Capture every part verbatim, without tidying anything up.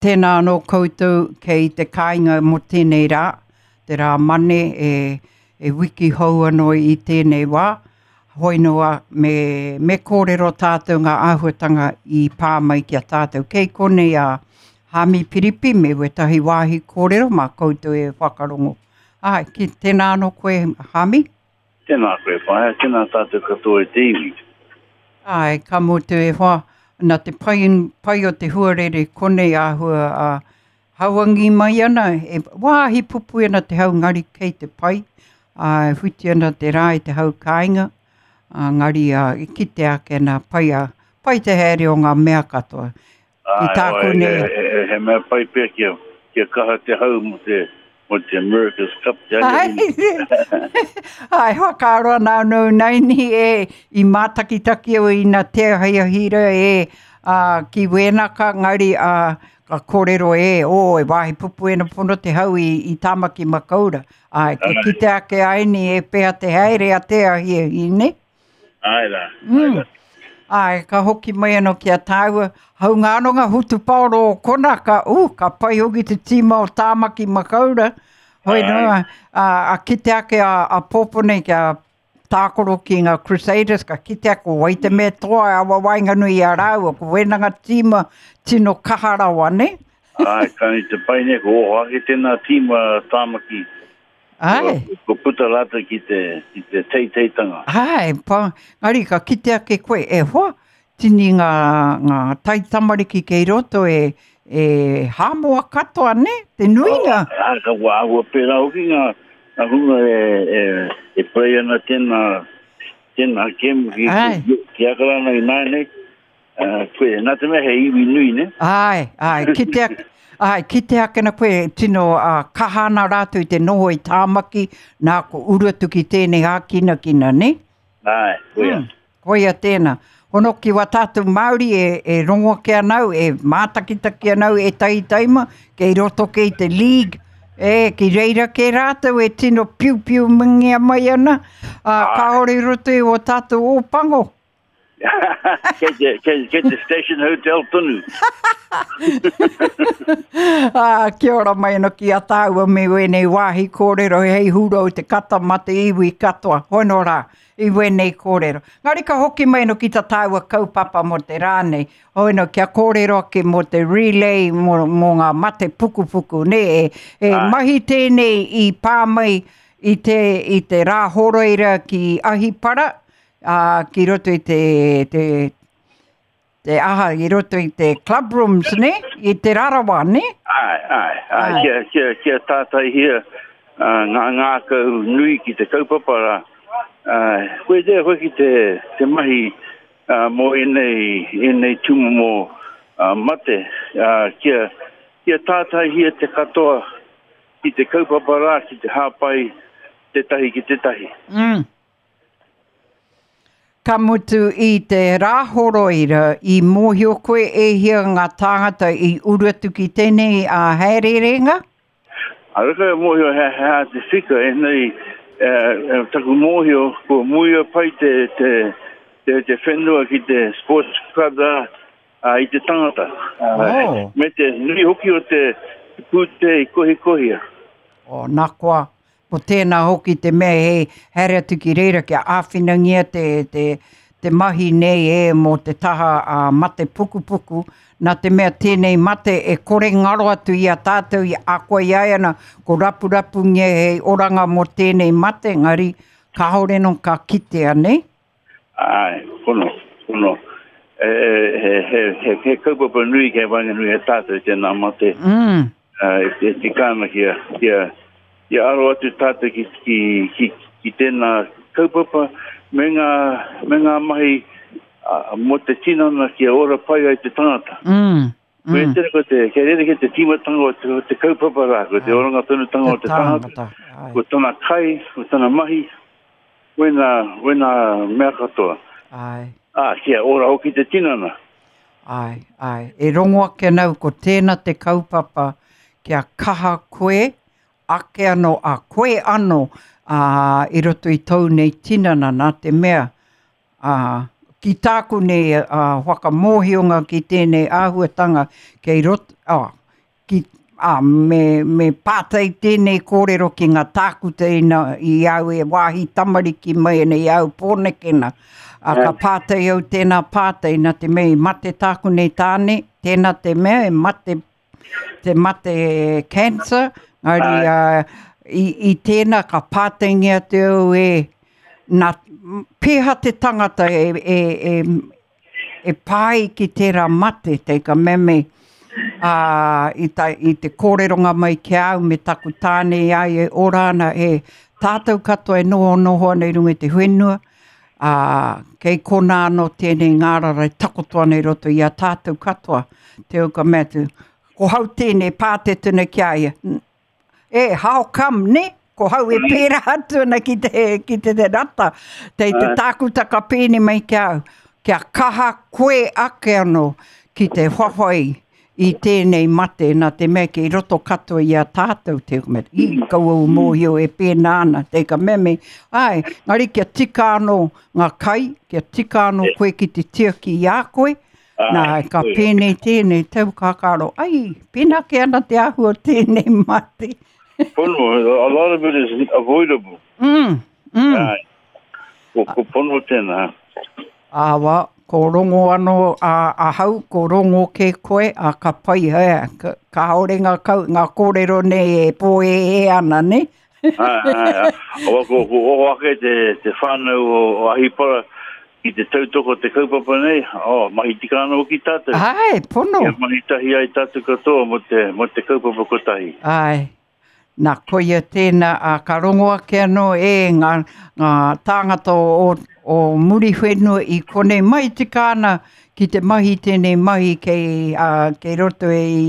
Tēnā anō koutou kei te kāinga mō tēnei rā, te rā mane e, e wiki hou anō i tēnei wā. Hoi noa me, me kōrero tātou ngā āhuatanga i pā mai ki a tātou. Kei konei a Hami Piripi me wetahi wāhi kōrero mā koutou e whakarongo. Ai, ki, tēnā anō koe Hami? Tēnā koe whaea, tēnā tātou katoa e te iwi. Ai, ka mutu e hoa, nā te pai, pai o te huarere konei āhua a hauangi mai ana, e wāhi pupu ana te hau ngari kei te pai, a whiti ana te rā i te hau kāinga, a ngari a, i kite ake nā pai, a, pai te haere o ngā mea katoa. Ki Ai, tāku oi, nei. he, he, he mea pai pea kia, kia kaha te hau mo te, mo te America's Cup te Ai, ai whakaaro ana anō naini e i mātakitaki au i nā te ahiahira e a, ki Wēnaka ngari a, ka kōrero e, o, e wāhi pupu ena pono te hau i, i Tāmaki Makaura. Ai, ka Ai. kite ake ai ni e pea te haere a te ahiahi, ne? Ai rā, ai Mm. rā. Ai, ka hoki mai anō ki a tāua, haunga anō ngā hutupaoro o kona, ka, uh, ka pai hoki te tīma o Tāmaki Makaura. Hoi Ai. noa, a, a kite ake a, a pōpo nei kia tākoro ki ngā Crusaders, ka kite ake ko wai te mea toa e awa waenganui i a rāua, ko wena ngā tīma tino kaha rawa, ne? Ai, ka ni te pai nei, ko oho ake tēnā tīma Tāmaki. Ai. Ko, ko puta rātou ki te, ki te teiteitanga. Ai, pa, ngari ka kite ake koe, e hoa, tini ngā, ngā taitamariki kei roto e, e Hāmoa katoa, ne? Te nuinga. Oh, ai, ka wā āhua pērā hoki ngā, ngā hunga e, e, e play ana tēnā, tēnā kemu ki, Ai. ki, ki Akarana i nāianei. Uh, koe, nā te mea he iwi nui, ne? Ai, ai, kite ake, ai, kite ake na koe, tino uh, kaha ana rātou i te noho i Tāmaki, nā ko uru atu ki tēnei hākinakina, ne? Ai, koia. Mm, koia tēnā. Hono ki wā tātou Māori e, e rongo ake anau, e mātakitaki anau, e taitaima, kei roto kei te league, e, ki reira ke rātou e tino piu piu mingia mai ana, uh, Ai. kāore i roto i o tātou ōpango. Kei te, kei, kei te Station Hotel tonu. Ah, kia ora mai anō ki a tāua me wēnei wāhi kōrero hei hurau te kata ma te iwi katoa. Hono rā, i wēnei kōrero. Ngari ka hoki mai anō ki tā tāua kaupapa mō te rā nei. Hono kia kōrero ake mō te relay, mō, mō ngā mate pukupuku. Ne, e, e Ai. mahi tēnei i pā mai i te, i te rā horoira ki Ahipara, ā, ki roto i te, te, te aha, i roto i te club rooms, ne? I te rarawa, ne? Ai, ai, ai, Ai. kia, kia, kia tātaihia uh, ngā ngākau nui ki te kaupapa rā. Uh, koe te koe ki te, te mahi uh, mō ēnei, ēnei tūmomo uh, mate, uh, kia, kia tātaihia te katoa ki te kaupapa rā, ki te hāpai tētahi ki tētahi. Mm. Ka mutu i te rāhoroira, i mōhio koe e hia ngā tāngata i uru atu ki tēnei a haererenga? A reka e mōhio he, he hā te whika, e nei, eh, taku mōhio, ko muia pai te, te, te, te whenua ki te sports club rā, uh, i te tangata. Uh, Oh. Me te nui hoki o te pūte i kohikohia. O, nā koa, ko tēnā hoki te mea hei haere atu ki reira kia āwhinangia te, te, te mahi nei e mō te taha a mate pukupuku, nā te mea tēnei mate e kore ngaro atu i a tātou i a koe i ai ana, ko rapurapungia hei oranga mō tēnei mate, ngari kāore no ka kitea, nei? Ai, pono, pono. E, he, he, he, he kaupapa nui kei waenganui e tātou tēnā mate. Mm. Uh, e, e tika ana kia, kia, kia aro atu tātou ki, ki, ki, ki tēnā kaupapa me ngā, me ngā mahi uh, mō te tinana kia ora pai ai te tangata. Mm. Mm. Mm. Tere ko te, kei rere ki te tīmatanga o te, o te kaupapa rā, ko te oranga tonutanga o te tangata, Ai. ko tana kai, ko tana mahi, wena, wena mea katoa. Ai. Ah, kia ora hoki te tinana. Ai, ai. E rongo ake nau ko tēnā te kaupapa kia kaha koe, ake anō, a koe anō, a, i roto i tōu nei tinana nā te mea, a, ki tāku nei a, whakamōhionga ki tēnei āhuatanga kei roto, a, ki, ā, me, me pātai tēnei kōrero ki ngā tākuta ina i au e wāhi tamariki mai ana i au Pōnekena. A, ka pātai au tēnā pātai nā te mea i mate tāku nei tāne, tēnā te mea e mate, te mate cancer, ngari uh, i, i tēnā ka pātaingia te au e, nā, pēha te tangata e, e, e, e pai ki tērā mate, te ka meme, ā, i, ta, i te kōreronga mai ki au me taku tāne i ai e ora ana e tātou katoa e noho noho ana i runga i te whenua, ā, kei kona anō tēnei ngārara e takoto ana i roto i a tātou katoa. Te au ka mea atu, ko hau tēnei pātetuna ki a ia. E, how come, ne? Ko hau e pērā atu ana ki te, ki te, te rata. Te, te tākuta ka pēne mai ki au. Kia kaha koe ake anō ki te whawhai i tēnei mate nā te mea kei roto katoa i a tātou te mea, i kaua u mōhio e pēnā ana, te ka mea me, ai, ngari kia tika anō ngā kai, kia tika anō koe ki te tiaki i a koe, nā, ka pēnei tēnei tau kakaro, ai, pēnā ke ana te āhua tēnei mate. Pono, a lot of it is avoidable. Mm, mm. Ai. Ko, ko pono tēnā. Āwa, ko rongo anō a, ahau, ko rongo ke koe, a ka pai hea, ka, kāore ngā, kau, ngā kōrero nei e pōēē ana, ne? Ai, ai, ai. Awa, ko, ko oho ake te, te whānau o, o Ahipara ki te tautoko te kaupapa nei, oh, mahi tika anō ki tātou. Ai, pono. Kia mahi tahi ai tātou katoa mo te, mo te kaupapa kotahi. Ai. Nā, koia tēnā, a, ka rongo ake anō e ngā, ngā tāngata o, o Muriwhenua i konei mai tika ana ki te mahi tēnei mahi kei, uh, kei roto e i,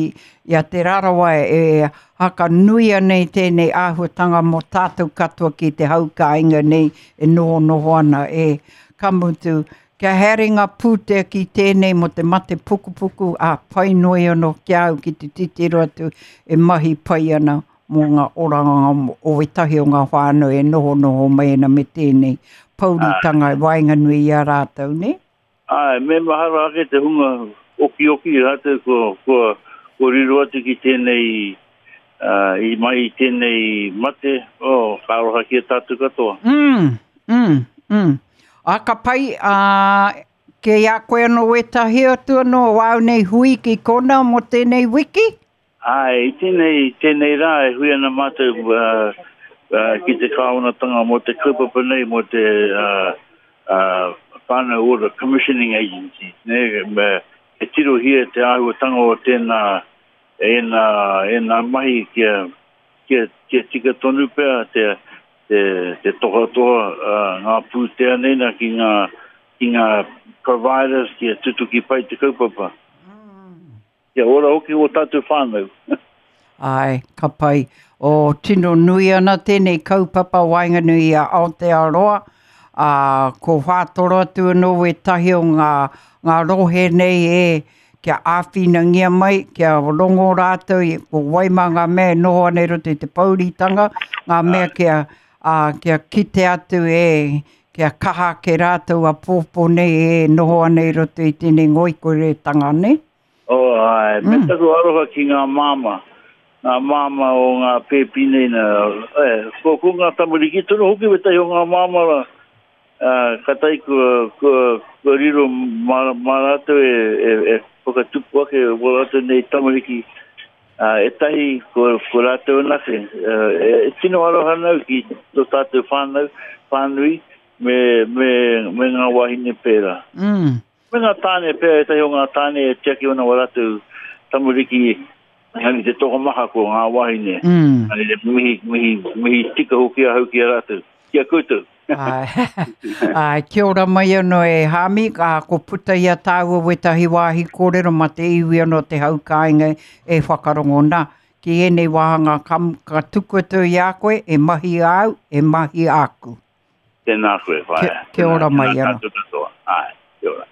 i a Te Rarawa e haka nui anei tēnei āhuatanga mō tātou katoa ki te hau kāinga nei e noho noho ana e ka mutu. Kia haere ngā pūtea ki tēnei mō te mate pukupuku a pai noi anō ki au ki te titiro atu e mahi pai ana mō ngā oranga o wetahi o ngā whānau e noho noho mai ana me tēnei pouritanga e waenganui i a rātou, ne? Ai, me mahara ake te hunga oki oki rātou ko, ko, ko riro atu ki tēnei, uh, i mai i tēnei mate, oh, ka aroha ki a tātou katoa. Mm, mm, mm. A ka pai, a, ke a koe anō wetahi atu anō wāu nei hui ki kona mō tēnei wiki? Ai, i tēnei, tēnei rā e hui ana mātou uh, uh, ki te kāwanatanga mō te kaupapa nei, mō te uh, uh, Whānau Order Commissioning Agency. Ne, me, e tirohia te āhuatanga o tēnā, ēnā, ēnā mahi kia, kia, kia tika tonu pea te, te, te tohatoha uh, ngā pūtea nei nā ki ngā, ki ngā providers kia tutuki pai te kaupapa. Kia ora hoki o tātou whānau. Ai, ka pai. O tino nui ana tēnei kaupapa waenganui i a Aotearoa. Ā, ko whātoro atu anō wetahi o ngā, ngā rohe nei e kia āwhinangia mai, kia rongo rātou, i, ko waima ngā mea e noho ana i roto i te pouritanga, ngā mea kia, ā, kia kite atu e, kia kaha ake rātou a pōpō nei e noho ana i roto i tēnei ngoikoretanga nei. Oh, ai, me Mm. taku aroha ki ngā māma, ngā māma o ngā pēpi nei nā, eh, ko, ko ngā tamariki tonu hoki wetahi o ngā māma rā, uh, ka tai kua, kua, kua riro mā, mā rātou e, e, e whakatupu ake o rātou nei tamariki, uh, e tahi ko, ko rātou anake. Uh, e, e tino aroha nau ki tō tātou whānau, whānui, me, me, me ngā wahine pērā. Mm. Me ngā tāne pēr, e tahi o ngā tāne e tiaki ona wa rātou tamariki, engari te tokomaha ko ngā wahine. Mm. Ani te mihi, mihi, mihi tika hoki ahau ki a rātou. Ki a koutou. Ai, ai, kia ora mai anō e Hami, ā, ko puta i a tāua wetahi wāhi kōrero ma te iwi anō te hau kāinga e whakarongo nā. Ki ēnei wāhanga ka, ka tuku atu i a koe, e mahi au, e mahi āku. Tēnā koe, whaea. Kia, kia ora mai Tēnā anō. tātou katoa. Ai, kia ora.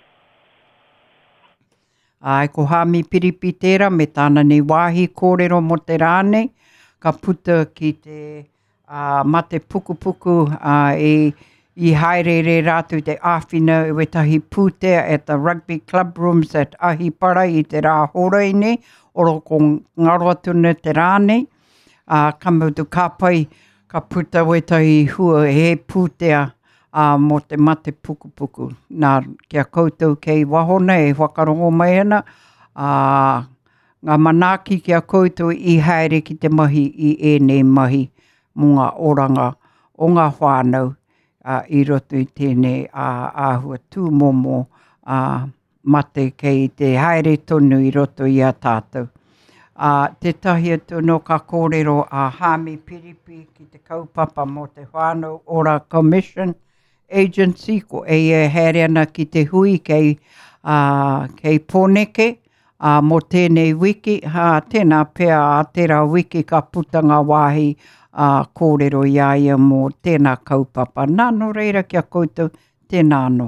Ai, ko Hami Piripi tērā me tāna nei wāhi kōrero mō te rā nei, ka puta ki te uh, mate pukupuku uh, i, i haerere rātou te āwhina i wetahi pūtea at the Rugby Club Rooms at Ahipara i te rā horoi nei, Oro ko ngaro atu nei te rā nei, ā, ka mutu ka pai, ka puta wētahi hua he pūtea ā, mō te mate pukupuku. Nā, ki a koutou kei waho nei e whakarongo mai ana, ā, ngā manaaki ki a koutou i haere ki te mahi i ēnei mahi mō ngā oranga o ngā whānau ā, i roto i tēnei ā, āhua tūmomo ā, mate kei te haere tonu i roto i a tātou. Ā, tētahi atu anō ka kōrero a Hāmi Piripi ki te kaupapa mō te Whānau Ora Commission Agency, ko eia e haere ana ki te hui kei, ā, kei Pōneke, ā, mō tēnei wiki, hā, tēnā pea ā tērā wiki ka puta ngā wāhi ā, kōrero i a ia mō tēnā kaupapa. Nā, nō reira ki a koutou, tēnā anō.